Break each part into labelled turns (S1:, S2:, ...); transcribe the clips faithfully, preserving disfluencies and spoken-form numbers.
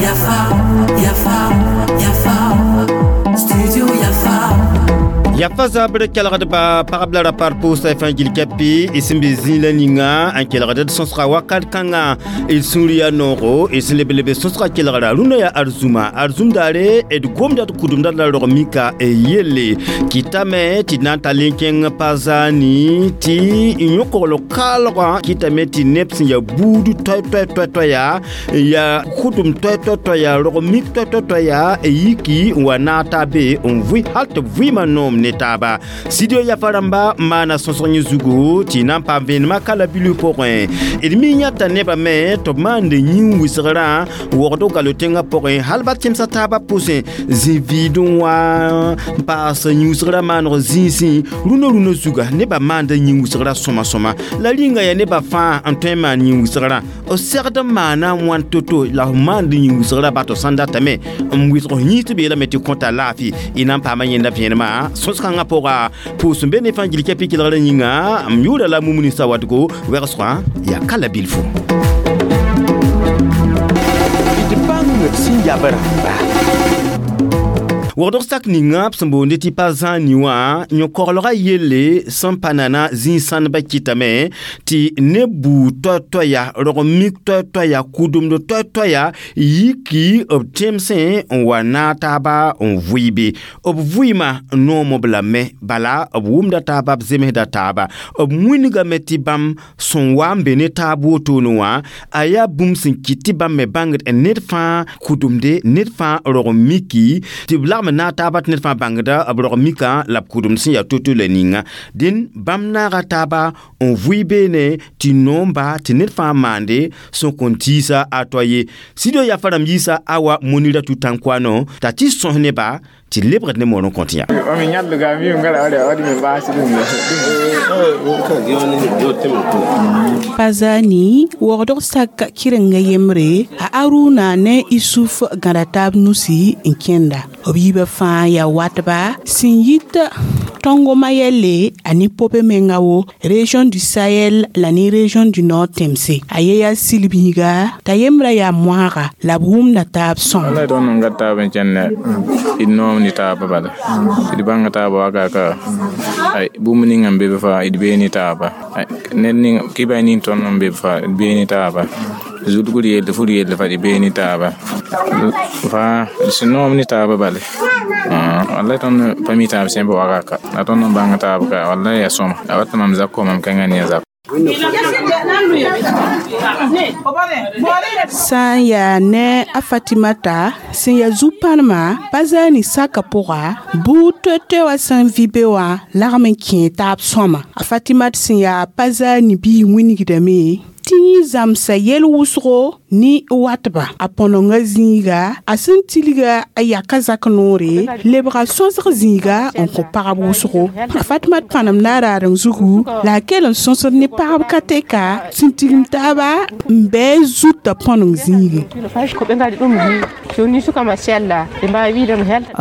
S1: Yafa, Yafa, Yafa, Studio Yafa.
S2: Yafa zabr kelgd ba pagb la rapar pʋʋsa fãa gil kɛpɩ y sẽn be zĩig la ninga n kelgd d sõsga wakat kãngã d sũur yaa noogo d sẽn leb leb sõsga kelgra rũndã yaa arzũma arzũm daare d gomda d kʋdemda la rog mika yelle kɩtame tɩ d na n tall n kẽng pa zaani tɩ yõ-kogl kaalgã kɩtame tɩ neb sẽn yaa buud toɛ-toɛ toɛ-toɛ yaa yaa kʋdem toɛ-toɛ toɛ yaa rog mik toɛ-toɛ toɛ yaa yiki n wa naag taa be n vʋɩ hal tɩ b vɩɩmã noom ne taaba studio yafa rãmba maana sõsg yẽ zugu tɩ na n paam vẽenemã kala bilf pʋgẽ d mi yãta nebã me tɩ b maand yĩn-wɩsgrã wogd galo tẽngã pʋgẽ hal ba tẽmsã taabã pʋsẽ zĩ-vɩɩdẽ wã n paas yĩn-wɩsgrã maaneg zĩisẽ rũnã rũnã zuga nebã maanda yĩn-wɩsgrã sõma sõma la rĩnga yaa nebã fãa n tõe n maan yĩn-wɩsgrã b segd n maana wãn to-to la f maand yĩn-wɩsgrã ba tɩ sãn datame n wɩsg f yĩns tɩ beelame tɩ kõta laafɩ y na n paama yẽnda vẽenemã sõs-kãngã pʋga pʋʋs n be ne fãa gil kɛpɩ kelgrã yĩnga m yʋʋra la mumuni sawadgo wɛgsgã yaa ka la bilfu d bãng sẽn yab rãmba wogdg sak ninga b sẽn boonde tɩ pa zãani wã yõ-koglgã yelle sẽn pa nana zĩig-sãndbã kɩtame tɩ ne buud toɛ-toɛ ya rog mik toɛ-toɛ ya kʋdemd toɛ-toɛ ya yiki b tẽmsẽ n wa naag taaba n vʋɩ be b vʋɩɩmã noom b lame bala b wʋmda taaba b zemsda taaba b wĩnigame tɩ bãmb sẽn wa n be ne taab wotone wã a yaa bũmb sẽn kɩt tɩ bãmb me bãngd ned fãa kʋdemde ned fãa rog miki tɩ b lagm naag taaba tɩ ned fãa bãngda b rog mikã la b kʋdemd sẽn yaa to-to la ninga dẽn bãmb naaga taaba n vʋɩ beene tɩ noomba tɩ ned fãa maande sẽn kõn tiisa a toa ye studio yafa rãmb yiisa awa monira tutankʋano t'a tɩ sõs neba tɩ lebgd ne moor n kõt yã
S3: Pa zani wogdg sak kɩrenga yembre a Aruna ne Isuf gãda taab nusi n kẽnda b yiibã fãa yaa watba sẽn yit Tongomayɛle a ne pope menga wo région du Sahel la ne région du Nord tẽmse a ye yaa silbiiga t'a yembrã yaa moaga la b wʋmda taab sõma
S4: wallay tõnd n gat taab n kẽnda d noom ne taaba bala d bãnga taaba wakaka ay bũmb ninga n be b faa d bee ne taaba ned ning kɩba ning tõnd n be b faa d bee ne taaba zulgr yell fur yell fa d bee ne taaba faa d sẽn noom ne taaba bale wallay tõnd pa mi taab sẽn be wakaka la tõnd n bãng taab ka wallay yaa sõma a wat mam zak mam kẽnga ne a zak
S3: sã n yaa ne a Fatimata sẽn yaa zu-pãnema pa zaani saka pʋga buud toɛ-toɛ wã sẽn vɩ be wã lagm n kẽe taab sõma a Fatimat sẽn yaa pa zaani biig wĩnigdame tɩ yẽ zãmsa yɛl wʋsgo ne watba a põnenga zĩiga a sẽn tilga a yaka zak noore lebga sõsg zĩiga n kõ pagb wʋsgo a Fatmat pãnem na a raadeng zugu la a kell n sõsd ne pagb ka tɛka sẽn tigim taaba n bɩ zutã põneng zĩige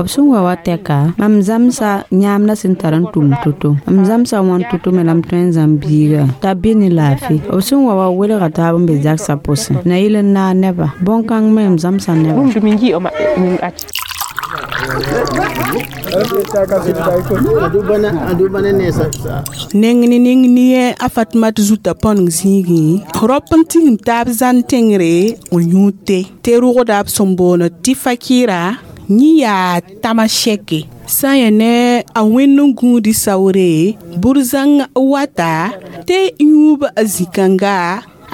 S5: b sẽn wa wa tɛka mam zãmsa yãamda sẽn tar n tʋm to-to m zãmsa wãn to-to me la m tõe n zãmb biiga t'a be ne laafɩ b sẽn wa wa welga taab n be zagsã pʋsẽ na yɩl n naag neba bõn-kãng me m zãmsa neba
S3: neng ne neng ne a Fatmat zutã põneng zĩigẽ rap n tigim taab zãn tẽngre n yũud te tɩ rʋgda b sẽn boond tɩ fakɩra yẽ yaa tama-sɛke sã n yaa ne a wẽnd n gũudi saoore bur-zãng wata tɩ yũub zĩ-kãnga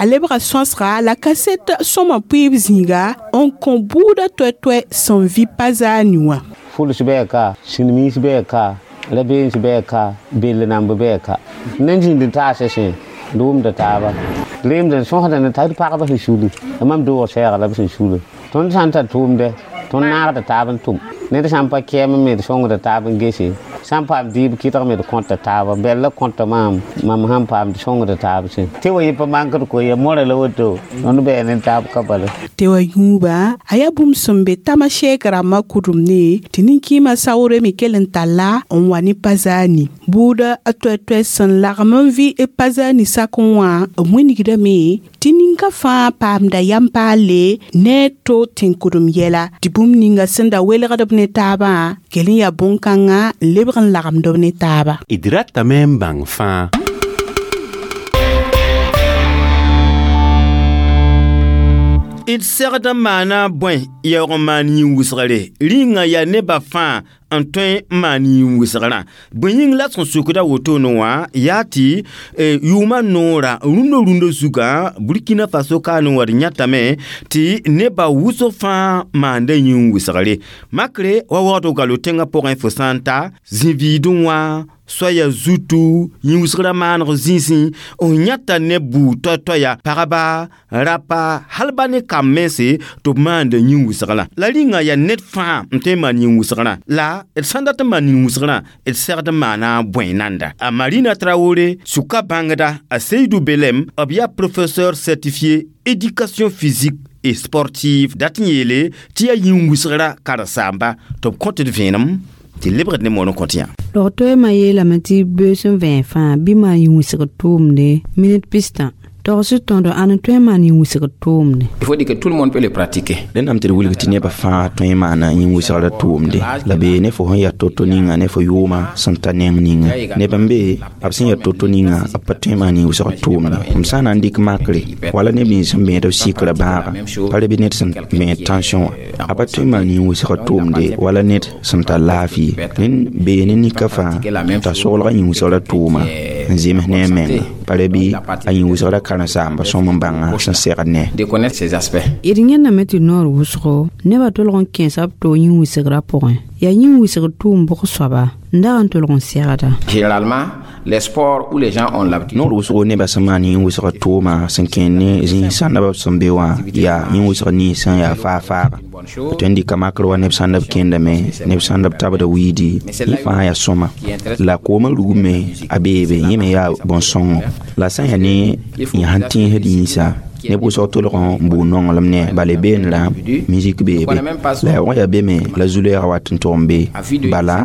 S3: a lebga sõsga la kaset sõma pʋɩɩb zĩiga n kõ buudã toɛ-toɛ sẽn vɩ pa zaani wã
S6: fuls bɛɛ ka silmiis bɛɛ ka rabeens bɛɛ ka bell namb bɛɛ ka nan zĩnd n taasa sẽ d wʋmda taaba reemd n sõsda ne tar pagba sẽn suli la mam doog sɛɛga la b sẽn suli tõnd sã n tar tʋʋmdɛ tõnd naagda taab n tʋm ned sã n pa kɛɛm me d sõngda taab n gese Sã n paam dɩɩb kɩdgme d kõta taaba bɛl la kõta maam mam sãn paam sõngda taab sẽ tɩ wa yɩ pa mankd ko ya mõra la woto tõnd bɛɛ ne taab ka bala
S3: tɩ wa yũuba a yaa bũmb sẽn be tamasɛɛk rãmbã kʋdemne tɩ nin-kɩɩmã saoore me kell n talla n wa ne pa-zaani buuda a toɛ-toɛ sẽn lagm n vɩ b pa-zaani sakẽ wã b wilgdame tɩ ninka fãa paamda yam paalle ne a to tẽn-kʋdem yɛla tɩ bũmb ninga sẽn da welgd b ne taabã kell n yaa bõn-kãngã n lebg n lagmd b ne taaba
S7: d ratame n bãng fãa
S2: d segd n maana bõe yaoog n maan yĩn-wʋsgre rĩnga yaa nebã fãa n tõe n maan yĩn-wʋsgrã bõe yĩng la sẽn sukda wotone wã yaa tɩ yʋʋmã noora rũndã rũndã zugã Burkina Faso kaan n wa d yãtame tɩ nebã wʋsg fãa maanda yĩn-wʋsgre makre wa waoodg galo tẽngã pʋgẽ fo sã n ta zĩ-viidẽ wã soaya zutu yĩn-wʋsgrã maaneg zĩisẽ n yãta ne buud toay-toaya pagba rapa hal ba ne kam mense tɩ b maanda yĩn-wʋsgrã la rĩnga yaa ned fãa n tõe n maan yĩn-wʋsgrã la d sãn dat n maan yĩn-wʋsgrã d segd n maana bõe nanda a Marina Traoré sʋka bãngda a Seydou Belem b yaa professeur certifié éducation physique et sportive dat n yeele tɩ yaa yĩn-wʋsgrã karen-saamba tɩ b kõt d vẽenem tɩ lebgd ne moon n kõt yã
S5: Log-toeemã yeelame tɩ beoos sẽn vẽeg fãa bɩ maan yĩn-wʋsgr tʋʋmde minit pistã togs tõdo ãn n tõe n maan yĩn-wʋsgr tʋʋmde
S8: Il faut dire que tout le monde peut le pratiquer.
S4: Rẽnnam tɩ d wilg tɩ nebã fãa tõe n maana yĩn-wʋsgrã tʋʋmde la bee ne fo sẽn yaa to-to ninga ne fo yʋʋma sẽn ta neng ninga neb n be b sẽn yaa to-to ninga b pa tõe n maan yĩn-wʋsgr tʋʋmde m sã n na n dɩk makre wala neb nins sẽn bẽed b sɩkrã bãaga pa re bɩ ned sẽn bẽed tension wã a pa tõe n maan yĩn-wʋsgr tʋʋmde wala ned sẽn tar laafɩ rẽnd bee ne nika fãa t'a soglga yĩn-wʋsgrã tʋʋma n zems ne a menga pa re bɩ a yĩn-wʋsgrã karen-saamba sõm n bãnga sẽn segd ne
S8: De connaître ces aspects.
S5: D yẽndame tɩ noor wʋsgo nebã tolg n kẽesa b toog yĩn-wʋsgrã pʋgẽ yaa yĩn-wʋsgr tʋʋm bʋg soaba n dag n tolg n segda
S8: Généralement, les sports où les gens ont l'habitude.
S4: Noor wʋsgo nebã sẽn maan yĩn-wʋsgr tʋʋma sẽn kẽer ne zĩig sãndã b sẽn be wã yaa yĩn-wʋsg nins sẽn yaa faag-faaga tõe n dɩka makr wa neb sãnd b kẽndame neb sãnd b tabda wiidi yẽ fãa yaa sõma la koomã rugme a beebe yẽ me yaa bõn-sõngo la sã n yaa ne yã sẽn tẽesd yĩnsa neb wʋsg tolg n bʋʋ nonglem ne bala beenrã musique beebe la yaoog yaa be me la zu-lɛɛga wat n tʋg n be bala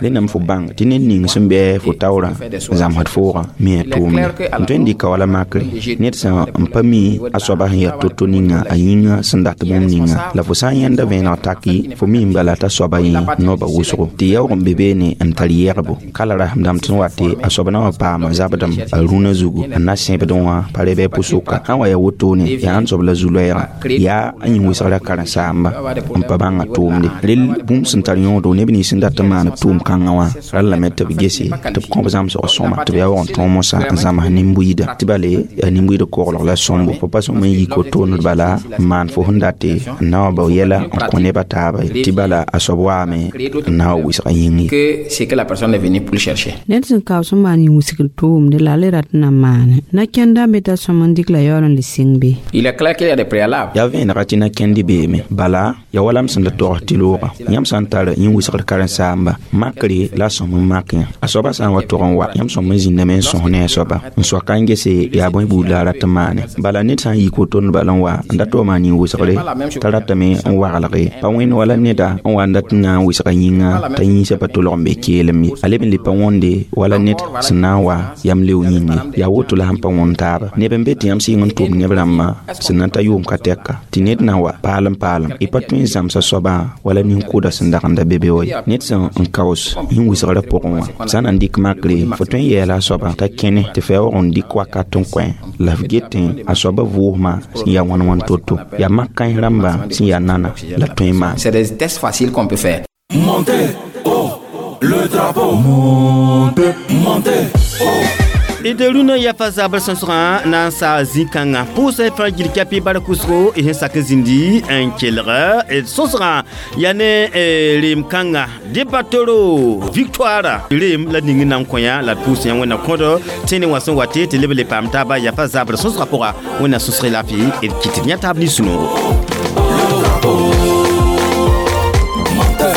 S4: rẽndame fo bãng tɩ ned ning sẽn bɩ fo taoorã n zãmsd foogã me a tʋʋmde n tõe n dɩka wala makre ned sẽn n pa mi a soaba sẽn yaa to-to ninga a yĩnga sẽn dat bũmb ninga la fo sã n yãnda vẽeneg taki fo mi n bala t'a soaba yẽ noaba wʋsgo tɩ yaoog n be beene n tar yɛgbo ka la rasem dãmb tɩ n wa tɩ a soab na wa paama zabdem a rũnã zugu n na sẽbdẽ wã pa re bɩ pʋsʋka sã n wa yaa wotone yaa n soab la zu-loɛɛga yaa a yĩn-wʋsgrã karen-saamba n pa bãnga tʋʋmde rel bũmb sẽn tar yõodo neb nins sẽn dat n maan b tʋʋm kãngã wã rallame tɩ b gese tɩ b kõ b zãmsg sõma tɩ b yaa waog n tõog mosã n zãms nin-buiida tɩ bale yaa nin-buiid koglg la sõmbo fo pa sõm n yik wotone bala n maan fo sẽn date n na wa bao yɛla n kõ nebã taaba ye tɩ bala a soab waame n na wa wɩsga yĩng ye
S8: Que ce que la personne est venue pour le chercher.
S5: Ned sẽn kaoos n maan yĩn-wʋsgr tʋʋmde la a le rat n na maane na-kẽndã me t'a sõm n dɩk la yaool n le sɩng be
S8: Il est clair qu'il y a des préalables.
S4: Yaa vẽenega tɩ na-kẽndi beeme bala yaa wala m sẽn da togs tɩ looga yãmb sã n tar yĩn-wʋsgr karen-saamba makre la a sõm n mak yã a soabã sã n wa tog n wa yãmb sõm n zĩndame n sõs ne a soaba n soaka n gese yaa bõe buud la a rat n maane bala ned sã n yik wotond bala n wa n da tɩ wa maan yĩn-wʋsgre t'a ratame n waglge pa wẽnd wala neda n wa n dat n na n wɩsga yĩnga t'a yĩnsã pa tolg n be keelem ye a leb n le pa wõnde wala ned sẽn na n wa yam leo yĩnge yaa woto la sẽn pa wõnd taaba neb n be tɩ yãmb sɩng n tʋm neb rãmbã sẽn na n ta yʋʋm ka tɛka tɩ ned na wa paalem paalem y pa tõe n zãmsa soabã wala nin-kʋʋda sẽn dagenda be be wa ye ned sẽn n kaoos yĩn-wʋsgrã pʋgẽ wã sã n na n dɩk makre fo tõe n yɛɛla a soaba t'a kẽne tɩ fa yaoog n dɩk wakat n kõ la f getẽ a soabã vʋʋsmã sẽn yaa wãn wãn to-to yaa mak kãens rãmbã sẽn yaa nana la tõe n maan
S8: C'est des tests faciles qu'on peut faire.
S1: Montez, oh, le drapeau. Montez, montez, oh.
S2: D rũnã yafa zabr sõsgã na n saa zĩ-kãngã pʋʋsã fãa gil-kapi bark wʋsgo y sẽn sak n zĩndi n kelg d sõsgã yaa ne reem kãnga Debatoro Victoire reem la ning n na n kõ yã la d pʋʋs yã wẽnna kõdo tẽne wã sẽn wa tɩ tɩ leb le paam taaba yafa zabr sõsgã pʋga wẽnna sõsg laafɩ d kɩt d yã taab nin-sũ-noogo.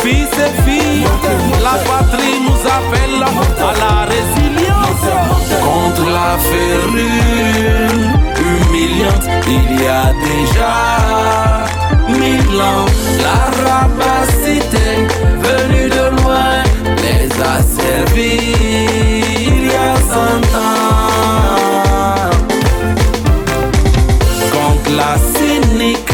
S1: Fils et filles, la patrie nous appel à la résilience. Contre la férule humiliante, il y a déjà mille ans, la rapacité venue de loin les a servis il y a cent ans. Contre la cynique